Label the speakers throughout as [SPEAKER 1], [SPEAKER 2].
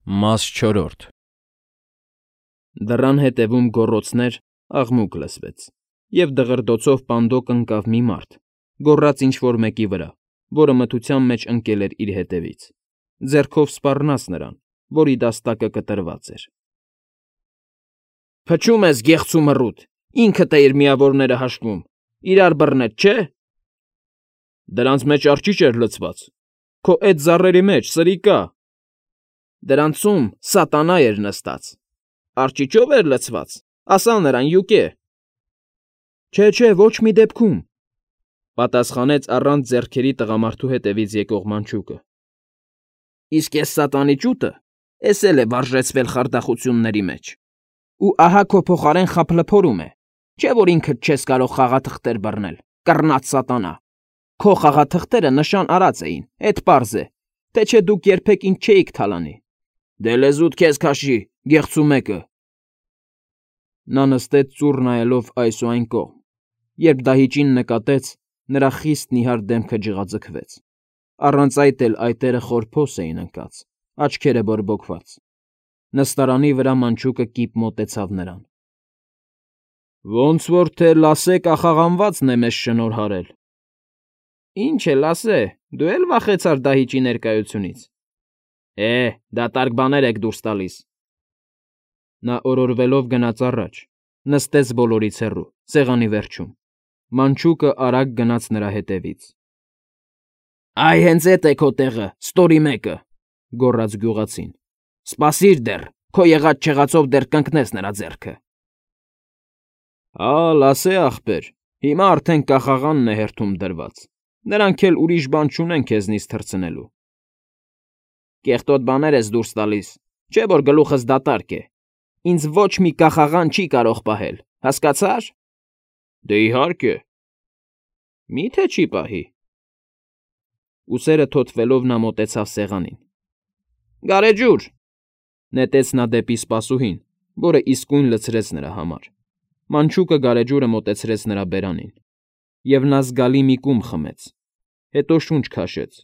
[SPEAKER 1] Մաս 4 Դռան հետևում գոռոցներ, աղմուկ լսվեց, և դղրդոցով պանդոկ ընկավ մի մարդ, գոռաց ինչ֊որ մեկի վրա, որը մթության մեջ ընկել էր իր հետևից, ձեռքով սպառնաց նրան, որի դաստակը կտրված էր։ ֊ Փչում ես, գեղցու մռութ, ինքդ էիր միավորները հաշվում, իրար բռնեց, չէ՞։ Դրանց մեջ արջիճ էր լցված, քո էդ ծառերի մեջ, սրիկա։ Դրանցում սատանա էր նստած։ Արջիճո՞վ էր լցված, ասա նրան, յուկե։ Չէ, ոչ մի դեպքում, պատասխանեց առանց ձեռքերի տղամարդու հետևից եկող մանչուկը։ Իսկ էս սատանի ճուտը էս էլ է վարժեցվել խարդախությունների մեջ, ու ահա քո փոխարեն խաբլփորում է, չէ՞ որ ինքդ չես կարող խաղաթղթեր բռնել, կռնած սատանա։ Քո խաղաթղթերը նշան արած էին, էդ պարզ է, թե չէ դուք երբեք ինձ չէիք թալանի։ Դե լեզուդ քեզ քաշի, գեղցու մեկը։ Նա նստեց ծուռ նայելով այս ու այն կողմ, երբ դահիճին նկատեց, նրա խիստ նիհար դեմքը ջղաձգվեց, առանց այդ էլ այտերը խորփոս էին ընկած, աչքերը բորբոքված։ Նստարանի վրա մանչուկը կիպ մոտեցավ նրան։ Ոնց որ թե լասե կախաղանվածն է մեզ շնորհարել։ Ինչ է լասե, դու էլ վախեցար դահիճի ներկայությունից։ Դատարկ բաներ եք դուրս տալիս։ Նա օրորվելով գնաց առաջ, նստեց բոլորից հեռու, սեղանի վերջում։ Մանչուկը արագ գնաց նրա հետևից։ Այ հենց էդ է քո տեղը, ստորի մեկը, գոռաց գյուղացին։ Սպասիր դեռ, քո եղած-չեղածով դեռ կընկնես նրա ձեռքը։ Լասե ախպեր, հիմա արդեն կախաղանն է հերթում դրված, նրանք էլ ուրիշ բան չունեն քեզնից թռցնելու։ Կեղտոտ բաներ ես դուրս տալիս, չէ՞ որ գլուխս դատարկ է, ինձ ոչ մի կախաղան չի կարող պահել, հասկացա՞ր։ Դե իհարկե։ Մի՞թե չի պահի։ Ուսերը թոթվելով նա մոտեցավ սեղանին։ Գարեջուր, նետեց նա դեպի սպասուհին, որը իսկույն լցրեց նրա համար։ Մանչուկը գարեջուրը մոտեցրեց նրա բերանին, և նա զգալի մի կում խմեց, հետո շունչ քաշեց։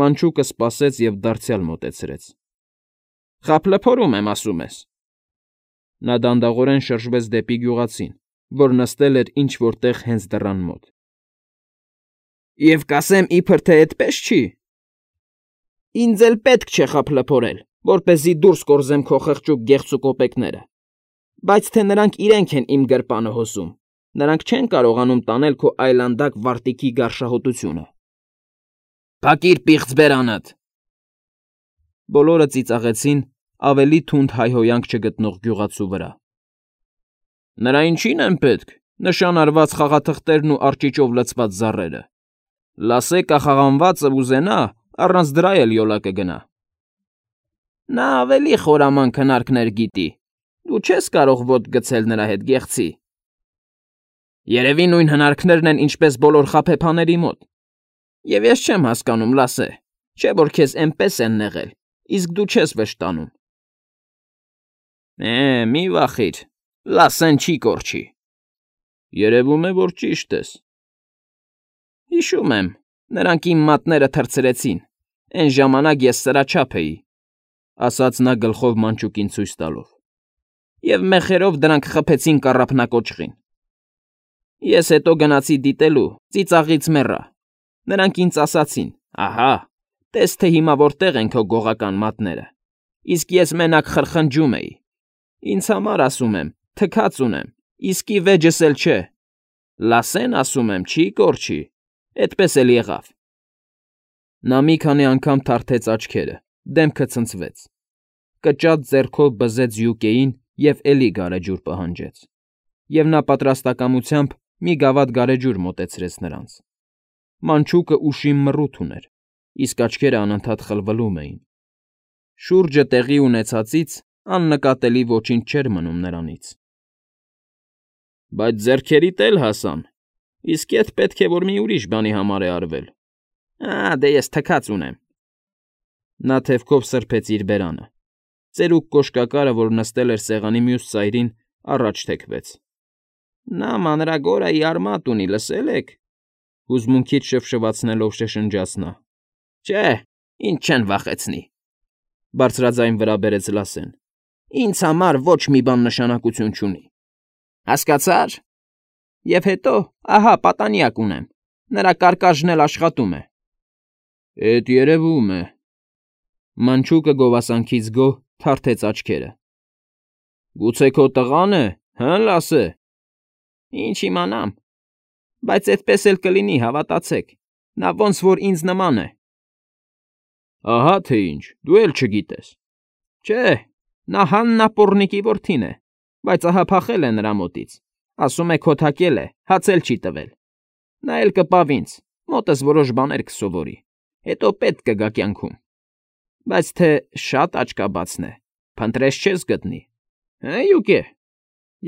[SPEAKER 1] Մանչուկը սպասեց և դարձյալ մոտեցրեց։ Խաբլփորում եմ, ասում ես։ Նա դանդաղորեն շրջվեց դեպի գյուղացին, որ նստել էր ինչ֊որ տեղ հենց դռան մոտ։ Եվ կասեմ իբր թե էդպես չի։ Ինձ էլ պետք չէ խաբլփորել, որպեսզի դուրս կորզեմ քո խղճուկ գեղցու կոպեկները, բայց թե նրանք իրենք են իմ գրպանը հոսում, նրանք չեն կարողանում տանել քո այլանդակ վարտիքի գարշահոտությունը։ Փակիր պիղծ բերանդ։ Բոլորը ծիծաղեցին ավելի թունդ հայհոյանք չգտնող գյուղացու վրա։ Նրա ինչին են պետք, նշան արված խաղաթղթերն ու արջիճով լցված ծառերը։ Լասե կախաղանվածը ուզենա, առանց դրա էլ յոլա կգնա։ Նա ավելի խորամանկ հնարքներ գիտի, դու չես կարող ոտք գցել նրա հետ, գեղցի։ Երևի նույն հնարքներն են, ինչպես բոլոր խաբեբաների մոտ։ Եվ ես չեմ հասկանում, լասե, չէ՞ որ քեզ էնպես են նեղել, իսկ դու չես վշտանում։ Մի վախիր, լասեն չի կորչի։ Երևում է, որ ճիշտ ես։ Հիշում եմ, նրանք իմ մատները թռցրեցին, էն ժամանակ ես սրաչափ էի, ասաց նա գլխով մանչուկին ցույց տալով։ Եվ մեխերով դրանք խփեցին կառափնակոճղին։ Ես հետո գնացի դիտելու, ծիծաղից մեռա։ Նրանք ինձ ասացին. ահա, տես թե հիմա որտեղ են քո գողական մատները, իսկ ես մենակ խրխնջում էի։ Ինձ համար, ասում եմ, թքած ունեմ, իսկի վեճս էլ չէ։ Լասեն, ասում եմ, չի կորչի, էդպես էլ եղավ։ Նա մի քանի անգամ թարթեց աչքերը, դեմքը ցնցվեց։ Կճած ձեռքով բզեց յուկեին և էլի գարեջուր պահանջեց։ Եվ նա պատրաստակամությամբ մի գավաթ գարեջուր մոտեցրեց նրանց։ Մանչուկը ուշիմ մռութ ուներ, իսկ աչքերը անընդհատ խլվլում էին։ Շուրջը տեղի ունեցածից աննկատելի ոչինչ չէր մնում նրանից։ Բայց ձեռքերիդ էլ հասան, իսկ էդ պետք է որ մի ուրիշ բանի համար է արվել։ Դե ես թքած ունեմ։ Նա թևքով սրբեց իր բերանը։ Ծերուկ կոշկակարը, որ նստել էր սեղանի մյուս ծայրին, առաջ թեքվեց։ Նա մանրագորայի արմատ ունի, լսել եք։ Հուզմունքից շվշվացնելով շշնջաց նա։ Չէ, ինձ չեն վախեցնի։ Բարձրաձայն վրա բերեց Լասեն։ Ինձ համար ոչ մի բան նշանակություն չունի։ Հասկացա՞ր։ Եվ հետո, ահա, պատանյակ ունեմ։ Նրա կարկաժն էլ աշխատում է։ Էդ երևում է։ Մանչուկը գովասանքից գոհ թարթեց աչքերը։ Գուցե քո տղա՞ն է, հը, Լասե։ Ինչ իմանամ։ Բայց այդպես էլ կլինի, հավատացեք։ Նա ոնց որ ինձ նման է։ Ահա թե ինչ, դու էլ չգիտես։ Չէ, նա Հաննապոռնիկի որդին է, բայց ահա փախել է նրա մոտից։ Ասում է քոթակել է, հաց էլ չի տվել։ Նա էլ կպավ ինձ, մոտս որոշ բաներ կսովորի, հետո պետք կգա կյանքում։ Բայց թե շատ աչքաբացն է, փնտրես չես գտնի։ Հե, յուկե,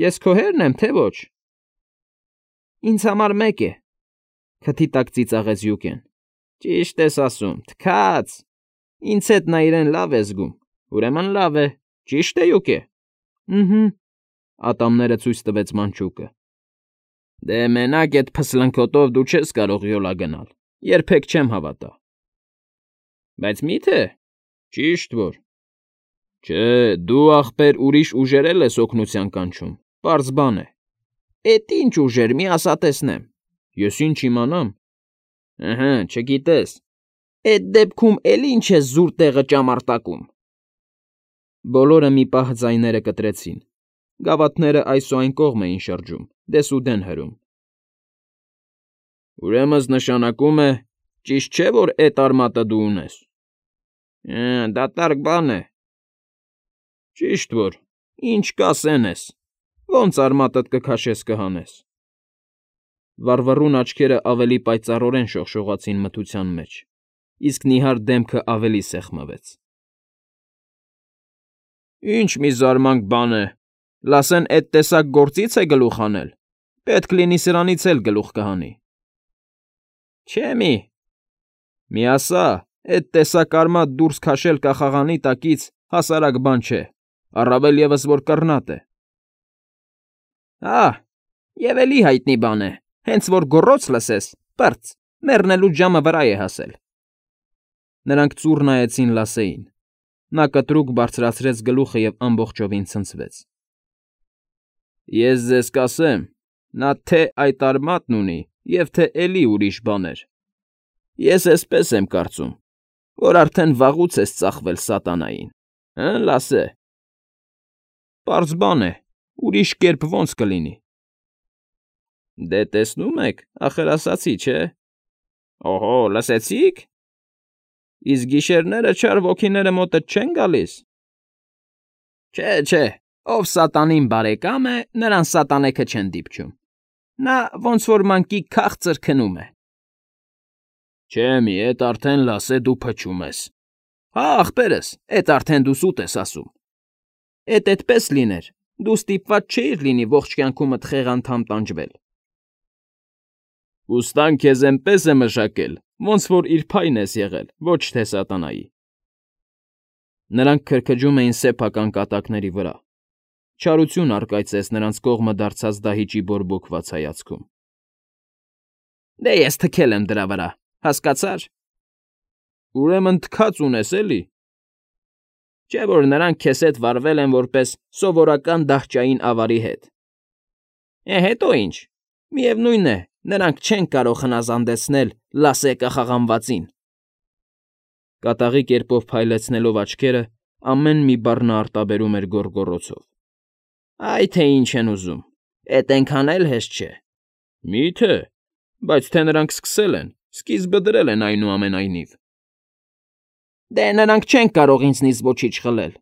[SPEAKER 1] ես քո հերն եմ, թե ոչ։ Ինձ համար մեկ է, քթի տակ ծիծաղեց Յուկեն։ Ճիշտ ես ասում, թքած։ Ինձ հետ նա իրեն լավ է զգում, ուրեմն լավ է, ճիշտ է Յուկե։ Ըհը, ատամները ցույց տվեց Մանչուկը։ Դե մենակ այդ փսլնքոտով դու չես կարող յոլա գնալ, երբեք չեմ հավատա։ Բայց մի՞թե։ Ճիշտ որ։ Չէ, դու ախպեր ուրիշ ուժերել ես օգնության կանչում, պարզ բան է։ Էդ ինչ ուժեր, մի ասա տեսնեմ։ Ես ինչ իմանամ։ Ըհը, չգիտես։ Էդ դեպքում էլ ինչ ես զուր տեղը ճամարտակում։ Բոլորը մի պահ ձայները կտրեցին։ Գավաթները այս ու այն կողմ էին շրջում, դեսուդեն հրում։ Ուրեմն նշանակում է, ճիշտ չէ, որ էդ արմատը դու ունես։ Դատարկ բան է։ Ճիշտ որ, ինչ կասեն ես, ոնց արմատդ կքաշես կհանես։ Վառվռուն աչքերը ավելի պայծառորեն շողշողացին մթության մեջ, իսկ նիհար դեմքը ավելի սեղմվեց։ Ինչ մի զարմանք բան է, Լասեն էդ տեսակ գործից է գլուխ հանել, պետք լինի սրանից էլ գլուխ կհանի։ Չէ՞ մի ասա, էդ տեսակ արմատ դուրս քաշել կախաղանի տակից հասարակ բան չէ, առավել ևս որ կռնատ է։ Եվ էլի հայտնի բան է, հենց որ գոռոց լսես, պրծ, մեռնելու ժամը վրա է հասել։ Նրանք ծուռ նայեցին Լասեին։ Նա կտրուկ բարձրացրեց գլուխը և ամբողջովին ցնցվեց։ Ես ձեզ կասեմ, նա թե այդ արմատն ունի, և թե էլի ուրիշ բաներ։ Ես էսպես եմ կարծում, որ արդեն վաղուց ես ծախվել սատանային, հը, Լասե։ Պարզ բան է, ուրիշ կերպ ոնց կլինի։ Դե տեսնում եք, ախր ասացի, չէ։ Օհո, լսեցի՞ք։ Իսկ գիշերները չար ոգիները մոտդ չեն գալիս։ Չէ, ով սատանին բարեկամ է, նրան սատանեքը չեն դիպչում։ Նա ոնց որ մանկի քաղցր քնում է։ Չէ, էդ արդեն Լասե դու փչում ես։ Հա, ախպերս, էդ արդեն դու սուտ ես ասում։ Էդ այդպես լիներ, դու ստիպված չէիր լինի ողջ կյանքումդ խեղ անդամ տանջվել։ Ուստան քեզ էնպես է մշակել, ոնց որ իր փայն ես եղել, ոչ թե սատանայի։ Նրանք քրքջում էին սեփական կատակների վրա։ Չարություն առկայծեց նրանց կողմը դարձած դահիճի բորբոքված հայացքում։ Դե ես թքել եմ դրա վրա, հասկացա՞ր։ Ուրեմն թքած ունես էլի։ Չէ՞ որ նրանք քեզ հետ վարվել են որպես սովորական դահճային ավարի հետ։ Հետո ինչ։ Միևնույն է, նրանք չեն կարող հնազանդեցնել Լասե կախաղանվածին։ Կատաղի կերպով փայլեցնելով աչքերը, ամեն մի բառ նա արտաբերում էր գոռգոռոցով։ Այ թե ինչ են ուզում, էդ այնքան էլ հեշտ չէ։ Մի՞թե, բայց թե նրանք սկսել են, սկիզբը դրել են այնուամենայնիվ։ Դե նրանք չեն կարող ինձնից ոչինչ խլել,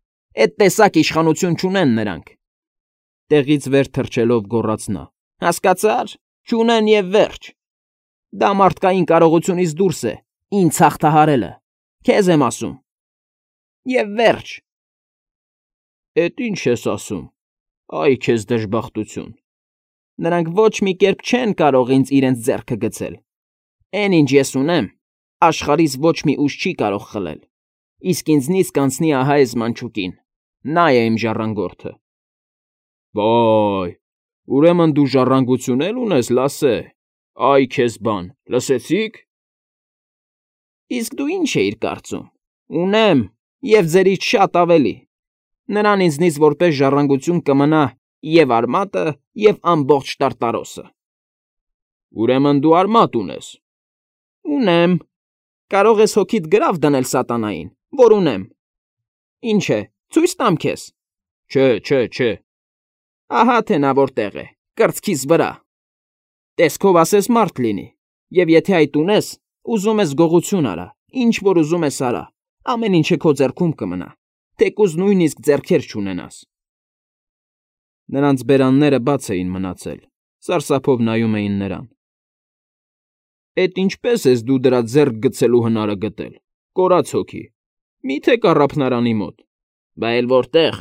[SPEAKER 1] էդ տեսակ իշխանություն չունեն նրանք։ Տեղից վեր թռչելով գոռաց նա։ Հասկացա՞ր, չունեն և վերջ։ Դա մարդկային կարողությունից դուրս է, ինձ հաղթահարելը, քեզ եմ ասում։ Եվ վերջ։ Էդ ինչ ես ասում, այ քեզ դժբախտություն։ Նրանք ոչ մի կերպ չեն կարող ինձ իրենց ձեռքը գցել։ Էն ինչ ես ունեմ, աշխարհից ոչ մի ուժ չի կարող խլել։ Իսկ ինձնից կանցնի ահա այս մանչուկին, նա է իմ ժառանգորդը։ Վայ, ուրեմն դու ժառանգություն էլ ունես, Լասե։ Այ քեզ բան, լսեցի՞ք։ Իսկ դու ինչ էիր կարծում։ Ունեմ, Եվ ձերից շատ ավելի։ Նրան ինձնից որպես ժառանգություն կմնա և արմատը, և ամբողջ Տարտարոսը։ Ուրեմն դու արմատ ունես։ Ունեմ։ Կարող ես հոգիդ գրավ դնել սատանային, որ ունեմ։ Ինչ է, ցույց տամ քեզ։ Չէ։ Ահա թե նա որտեղ է, կրծքիս վրա։ Տեսքով ասես մարդ լինի, և եթե այդ ունես, ուզում ես գողություն արա, ինչ որ ուզում ես արա, ամեն ինչը քո ձեռքում կմնա, թեկուզ նույնիսկ ձեռքեր չունենաս։ Նրանց բերանները բաց էին մնացել, սարսափով նայում էին նրան։ Էդ ինչպես ես դու դրա ձեռք գցելու հնարը գտել, կորած հոգի, մի՞թե կառափնարանի մոտ։ Բա էլ որտեղ։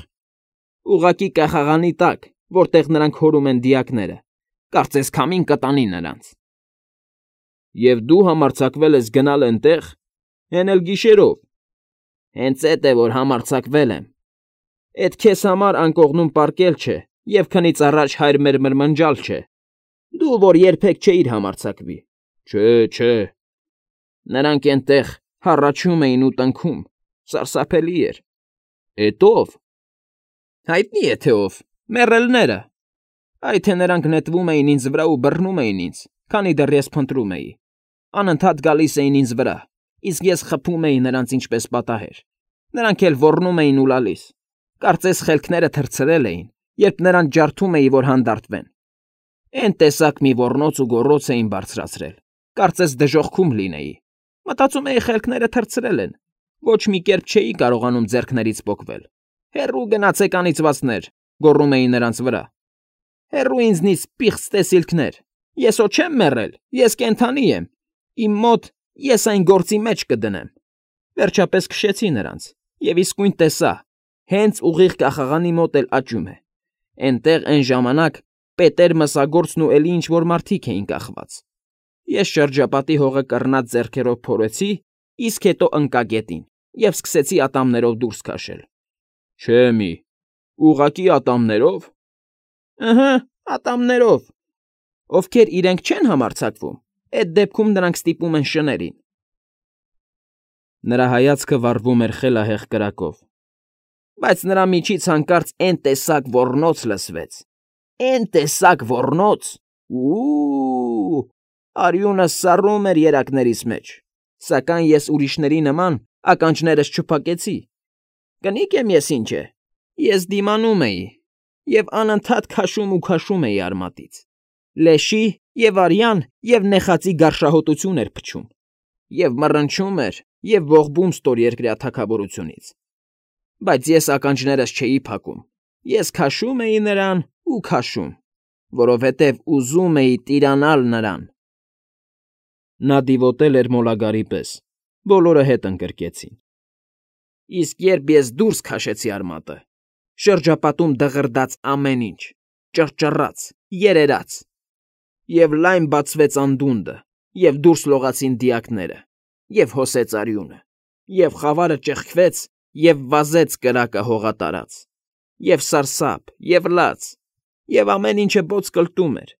[SPEAKER 1] Ուղղակի կախաղանի տակ, որտեղ նրանք հորում են դիակները, կարծես քամին կտանի նրանց։ Եվ դու համարձակվել ես գնալ էնտեղ, հեն էլ գիշերով։ Հենց էդ է, որ համարձակվել եմ։ Էդ քեզ համար անկողնում պառկել չէ, և քնից առաջ հայր մեր մրմնջալ չէ։ Դու, որ երբեք չէիր համարձակվի։ Չէ։ Նրանք էնտեղ հառաչում էին ու տնքում, սարսափելի էր։ Էդ ո՞վ։ Հայտնի է թե ով, մեռելները։ Այ թե նրանք նետվում էին ինձ վրա ու բռնում էին ինձ, քանի դեռ ես փնտրում էի։ Անընդհատ գալիս էին ինձ վրա, իսկ ես խփում էի նրանց ինչպես պատահեր։ Նրանք էլ ոռնում էին ու լալիս։ Կարծես խելքները թռցրել էին, երբ նրանց ջարդում էի, որ հանդարտվեն։ Էն տեսակ մի ոռնոց ու գոռոց էին բարձրացրել, կարծես դժոխքում լինեի։ Մտածում էի խելքները թռցրել են, ոչ մի կերպ չէի կարողանում ձեռքներից պոկվել։ Հեռու գնացեք անիծվածներ, գոռում էի նրանց վրա։ Հեռու ինձնից պիղծ տեսիլքներ։ Ես հո չեմ մեռել, ես կենդանի եմ։ Իմ մոտ ես այն գործի մեջ կդնեմ։ Վերջապես քշեցի նրանց, և իսկույն տեսա, հենց ուղիղ կախաղանի մոտ էլ աճում է։ Էնտեղ էն ժամանակ Պետեր Մսագործն ու էլի ինչ֊որ մարդիկ էին կախված։ Ես շրջապատի հողը կռնած ձեռքերով փորեցի, իսկ հետո ընկա գետին և սկսեցի ատամներով դուրս քաշել։ Չէ մի, ուղղակի ատամներո՞վ։ Ըհը, ատամներով։ Ովքեր իրենք չեն համարձակվում, էդ դեպքում նրանք ստիպում են շներին։ Նրա հայացքը վառվում էր խելահեղ կրակով։ Բայց նրա միջից հանկարծ էն տեսակ ոռնոց լսվեց։ Էն տեսակ ոռնոց։ Ու արյունը սառում էր երակներիս մեջ, սակայն ես ուրիշների նման ականջներս չփակեցի։ Կնիկ եմ ես ինչ է։ Ես դիմանում էի և անընդհատ քաշում էի արմատից։ Լեշի և արյան և նեխածի գարշահոտություն էր փչում, և մռնչում էր և ողբում ստորերկրյա թագավորությունից։ Բայց ես ականջներս չէի փակում, ես քաշում էի նրան ու քաշում, որովհետև ուզում էի տիրանալ նրան։ Նա դիվոտել էր մոլագարի պես, բոլորը հետ ընկրկեցին։ Իսկ երբ ես դուրս քաշեցի արմատը, շրջապատում դղրդաց ամեն ինչ, ճռճռաց, երերաց, և լայն բացվեց անդունդը, և դուրս լողացին դիակները, և հոսեց արյունը, և խավարը ճեղքվեց և վազեց կրակը հողատարած, և սարսափ, և լաց, և ամեն ինչը բոց կլտում էր,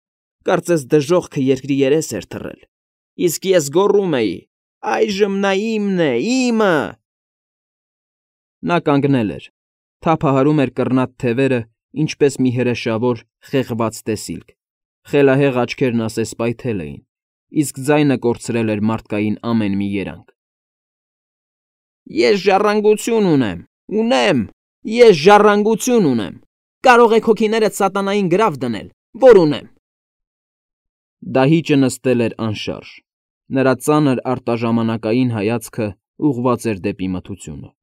[SPEAKER 1] կարծես դժոխքը երկրի երես էր թռել, իսկ ես գոռում էի. «Այժմ նա իմն է, իմը»։ Նա կանգնել էր, թափահարում էր կռնած թևերը, ինչպես մի հրեշավոր, խեղված տեսիլք, խելահեղ աչքերն ասես պայթել էին, իսկ ձայնը կորցրել էր մարդկային ամեն մի երանգ։ Ես ժառանգություն ունեմ, ես ժառանգություն ունեմ, կարող եք հոգիներդ սատանային գրավ դնել, որ ունեմ։ Դահիճը նստել էր անշարժ, նրա ծանր արտաժամանակային հայացքը ուղղված էր դեպի մթությունը։